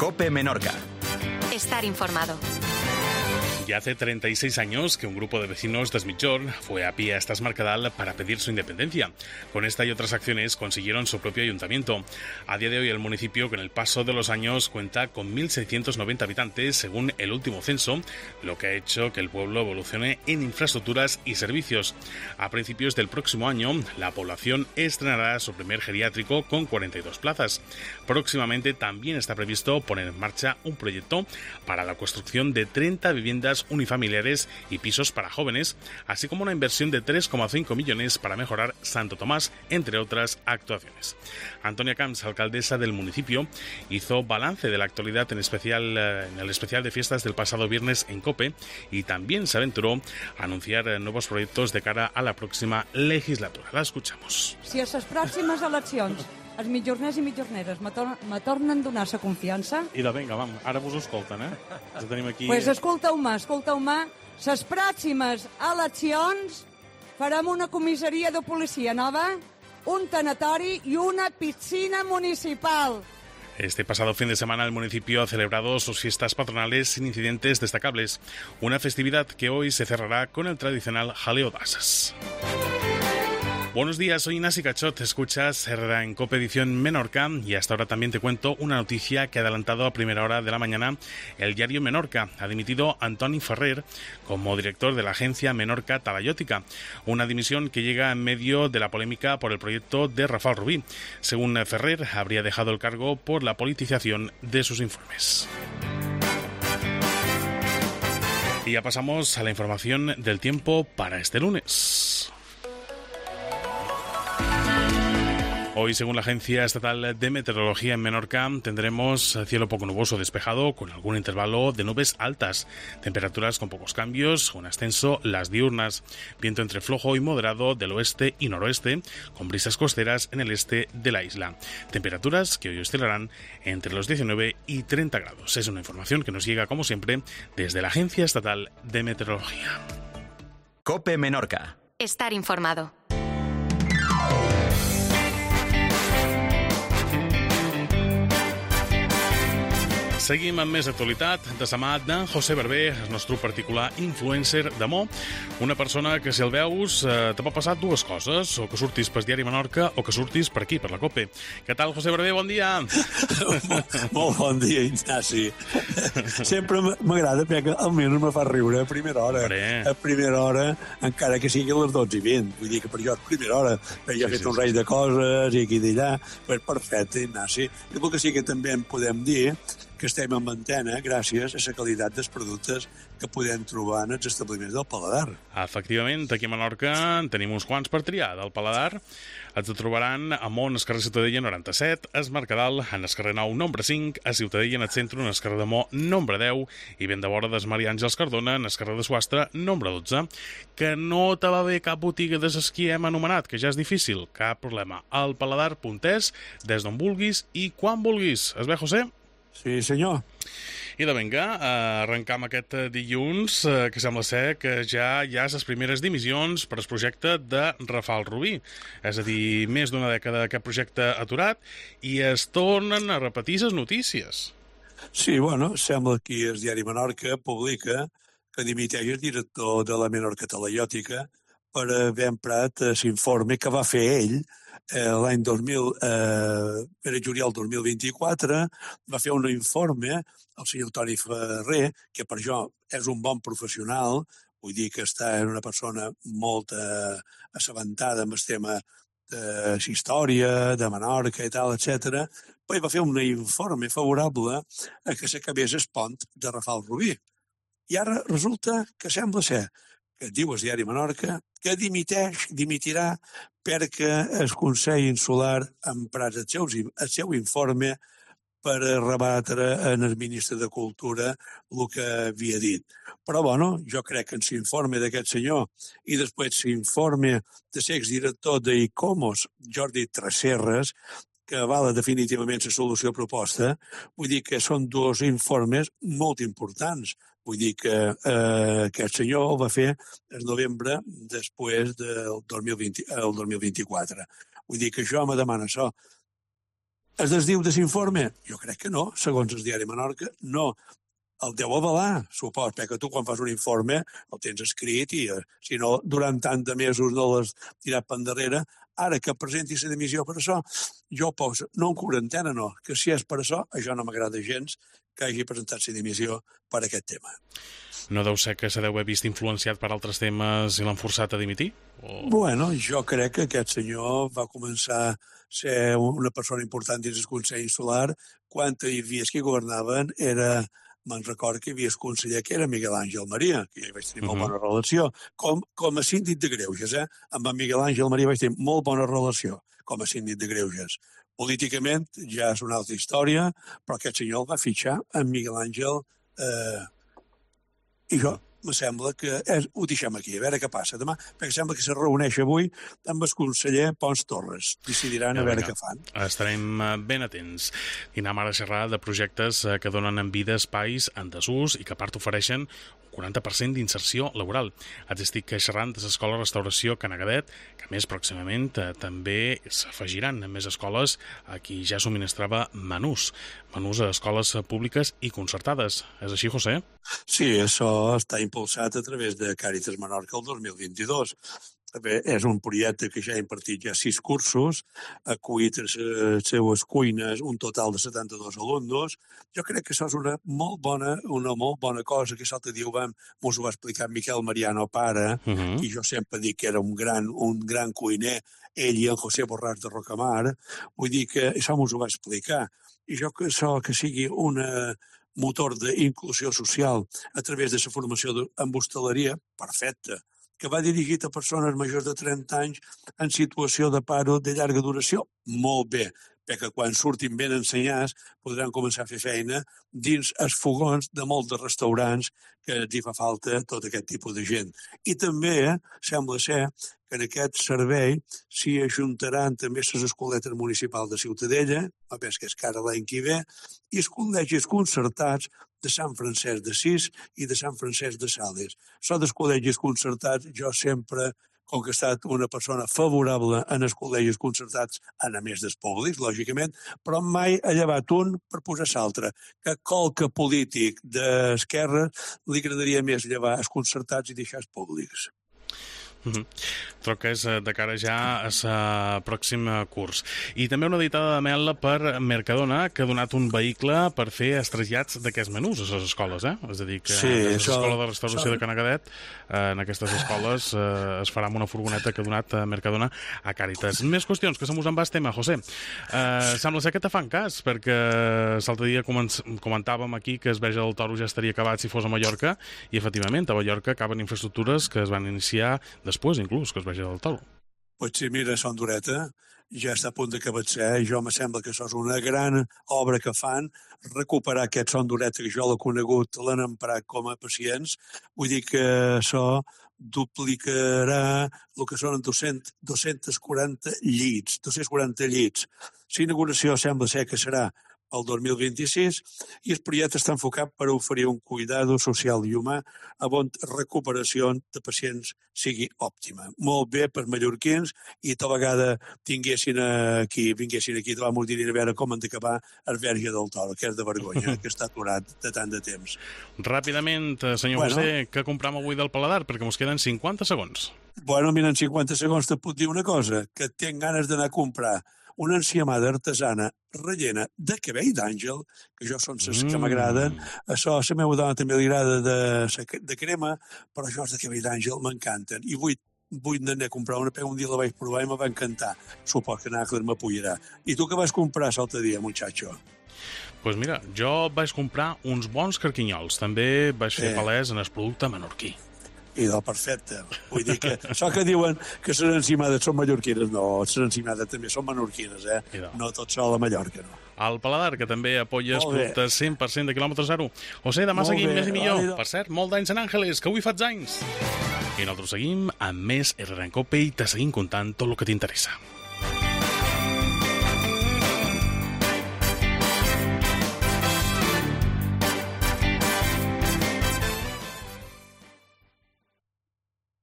COPE Menorca. Estar informado. Ya hace 36 años que un grupo de vecinos de Es Migjorn fue a pie hasta Es Mercadal para pedir su independencia. Con esta y otras acciones consiguieron su propio ayuntamiento. A día de hoy el municipio, con el paso de los años, cuenta con 1.690 habitantes según el último censo, lo que ha hecho que el pueblo evolucione en infraestructuras y servicios. A principios del próximo año, la población estrenará su primer geriátrico con 42 plazas. Próximamente también está previsto poner en marcha un proyecto para la construcción de 30 viviendas unifamiliares y pisos para jóvenes, así como una inversión de 3,5 millones para mejorar Santo Tomás, entre otras actuaciones. Antonia Camps, alcaldesa del municipio, hizo balance de la actualidad en el especial de fiestas del pasado viernes en COPE y también se aventuró a anunciar nuevos proyectos de cara a la próxima legislatura. La escuchamos. Si a les pròximes eleccions els mitjorners i mitjorneres me tornen a donar la confiança... I de vinga, vam, ara vos escolten, Ja tenim aquí... Pues escolteu-me, les pròximes eleccions farem una comissaria de policia nova, un tanatori i una piscina municipal. Este pasado fin de semana el municipio ha celebrado sus fiestas patronales sin incidentes destacables, una festividad que hoy se cerrará con el tradicional jaleo d'asas. Buenos días, soy Inasi Cachot, escuchas Herrera en COPE Edición Menorca y hasta ahora también te cuento una noticia que ha adelantado a primera hora de la mañana el diario Menorca. Ha dimitido Antoni Ferrer como director de la agencia Menorca Talayótica, una dimisión que llega en medio de la polémica por el proyecto de Rafael Rubí. Según Ferrer, habría dejado el cargo por la politización de sus informes. Y ya pasamos a la información del tiempo para este lunes. Hoy, según la Agencia Estatal de Meteorología en Menorca, tendremos cielo poco nuboso despejado con algún intervalo de nubes altas, temperaturas con pocos cambios, un ascenso las diurnas, viento entre flojo y moderado del oeste y noroeste, con brisas costeras en el este de la isla. Temperaturas que hoy oscilarán entre los 19 y 30 grados. Es una información que nos llega, como siempre, desde la Agencia Estatal de Meteorología. COPE Menorca. Estar informado. Seguim amb més actualitat de la mà d'en José Barber, el nostre particular influencer d'Amó, una persona que, si el veus, te pot passar dues coses, o que surtis pel diari Menorca o que surtis per aquí, per la COPE. Què tal, José Barber? Bon dia! Molt bon dia, Ignasi. Sempre m'agrada perquè almenys me fa riure a primera hora. A primera hora, encara que sigui a les 12:20. Vull dir que per jo és primera hora, perquè ja he fet un raig de coses i aquí d'allà. Pues perfecte, Ignasi. I el que sí que també en podem dir que estem en antena gràcies a la qualitat dels productes que podem trobar en els establiments del Paladar. Efectivament, aquí a Menorca en tenim uns quants per triar. Del Paladar els trobaran a Mont, al carrer Ciutadella 97, a Es Mercadal, en el carrer 9, nombre 5, a Ciutadella, en el centre, en el carrer de Mó, nombre 10, i ben de vora des Maria Àngels Cardona, en el carrer de Suastre, nombre 12. Que no te va bé cap botiga de les que hem anomenat, que ja és difícil, cap problema. Al paladar.es, des d'on vulguis i quan vulguis. Es ve, José? Sí, senyor. I de vinga, arrencam aquest dilluns, que sembla ser que ja hi ha les primeres dimissions per al projecte de Rafael Rubí. És a dir, més d'una dècada aquest projecte aturat i es tornen a repetir les notícies. Sí, bueno, sembla que el diari Menorca publica que dimiteix el director de la Menorca Talayòtica per haver emprat l'informe que va fer ell l'any 2000, per juliol 2024, va fer un informe el senyor Toni Ferrer, que per jo és un bon professional, vull dir que està en una persona molt assabentada amb el tema de història, de Menorca i tal, etc. Pues va fer un informe favorable a que s'acabés el pont de Rafael Rubí. I ara resulta que sembla ser que diu el diari Menorca que dimitirà perquè el Consell Insular ha emprat el seu informe per rebatre en el ministre de Cultura el que havia dit. Però, bueno, jo crec que en l'informe d'aquest senyor i després l'informe de l'exdirector d'ICOMOS, Jordi Tresserras, que avala definitivament la solució proposta, vull dir que són dos informes molt importants. Vull dir que aquest senyor el va fer el novembre després del 2024. Vull dir que jo me demano això. Es desdiu de l'informe? Jo crec que no, segons el diari Menorca, no. El deu avalar, supos, perquè tu quan fas un informe el tens escrit i si no, durant tant de mesos no l'has tirat per endarrere. Ara que presenti la dimissió per això, jo poso, no en quarantena, no, que si és per això no m'agrada gens que hagi presentat la dimissió per aquest tema. No deu ser que se deu haver vist influenciat per altres temes i l'han forçat a dimitir? Bueno, jo crec que aquest senyor va començar a ser una persona important dins el Consell Insular quan hi havia qui governaven, me'n recordo que hi havia el conseller que era Miguel Àngel Maria, que jo vaig tenir molt bona relació, com a síndic de Greuges, amb en Miguel Àngel Maria vaig tenir molt bona relació com a síndic de Greuges. Políticament ja és una altra història, però aquest senyor el va fitxar en Miguel Àngel i jo me sembla que ho deixem aquí, a veure què passa demà, perquè sembla que se reuneix avui amb el conseller Pons Torres. Decidiran a veure què fan. Estarem ben atents. I anem ara a xerrar de projectes que donen en vida espais en desús i que a part ofereixen un 40% d'inserció laboral. Els estic xerrant de l'Escola Restauració Canagadet, que més pròximament també s'afegiran més escoles a qui ja subministrava menús a escoles públiques i concertades. És així, José? Sí, això està impulsat a través de Càritas Menorca el 2022. Bé, és un projecte que ja ha impartit ja 6 cursos, ha acollit a les seues cuines un total de 72 alumnes. Jo crec que això és una molt bona cosa, que l'altre dia mos ho va explicar Miquel Mariano Pare, i jo sempre dic que era un gran cuiner, ell i en José Borràs de Rocamar. Vull dir que això mos ho va explicar. I jo que això que sigui una motor d'inclusió social a través de la formació en hostaleria, perfecte, que va dirigit a persones majors de 30 anys en situació de paro de llarga duració, molt bé, perquè quan surtin ben ensenyats podran començar a fer feina dins els fogons de molts de restaurants que els hi fa falta tot aquest tipus de gent. I també sembla ser que en aquest servei s'hi ajuntaran també les escoletes municipals de Ciutadella, a més que és cara l'any que ve, i els col·legis concertats de Sant Francesc d'Assís i de Sant Francesc de Sales. Això dels col·legis concertats, jo sempre, com que he estat una persona favorable en els col·legis concertats, a més dels públics, lògicament, però mai he llevat un per posar l'altre, que qualque polític d'esquerra li agradaria més llevar els concertats i deixar els públics. Troques de cara ja a la pròxima curs. I també una editada de mel per Mercadona, que ha donat un vehicle per fer els trasllats d'aquests menús a les escoles, És a dir, que l'Escola de Restauració de Canagadet, en aquestes escoles es farà amb una furgoneta que ha donat Mercadona a Càritas. Més qüestions, que se mos en va el tema, José. Sembla ser que te fan cas, perquè l'altre dia comentàvem aquí que el Verge del Toro ja estaria acabat si fos a Mallorca, i efectivament a Mallorca acaben infraestructures que es van iniciar després, inclús, que es vegi del Toro. Pues sí, mira, Son Dureta ja està a punt d'acabar de ser. Jo me sembla que això és una gran obra que fan, recuperar aquest Son Dureta, que jo l'he conegut, l'han emprat com a pacients. Vull dir que això duplicarà el que són 240 llits. L'inauguració sembla ser que serà el 2026, i el projecte està enfocat per oferir un cuidado social i humà on recuperació de pacients sigui òptima. Molt bé per mallorquins, i tota vegada vinguessin aquí, vamos dir a veure com han d'acabar el Verge del Toro, que és de vergonya, que està aturat de tant de temps. Ràpidament, senyor José, què compram avui del paladar? Perquè ens queden 50 segons. Bueno, mira, en 50 segons te puc dir una cosa, que tinc ganes d'anar a comprar una enciamada artesana rellena de cabell d'àngel, que jo són les que m'agraden. Això a la meva dona també li agrada de crema, però això de cabell d'àngel m'encanten. I vull anar a comprar una, un dia la vaig provar i me va encantar. Supos que Nàcler m'apoyarà. I tu què vas comprar l'altre dia, muchacho? Doncs mira, jo vaig comprar uns bons carquinyols. També vaig fer palès en el producte menorquí. I del perfecte. Vull dir que això que diuen que les encimades són mallorquines, no, les encimades també són menorquines, no tot sol a Mallorca, no. El paladar, que també apoya els productes 100% de quilòmetre zero. José, demà seguim més i millor. Per cert, molt d'anys en Àngeles, que avui faig anys. I nosaltres seguim amb més RR en Cope i te seguim contant tot el que t'interessa.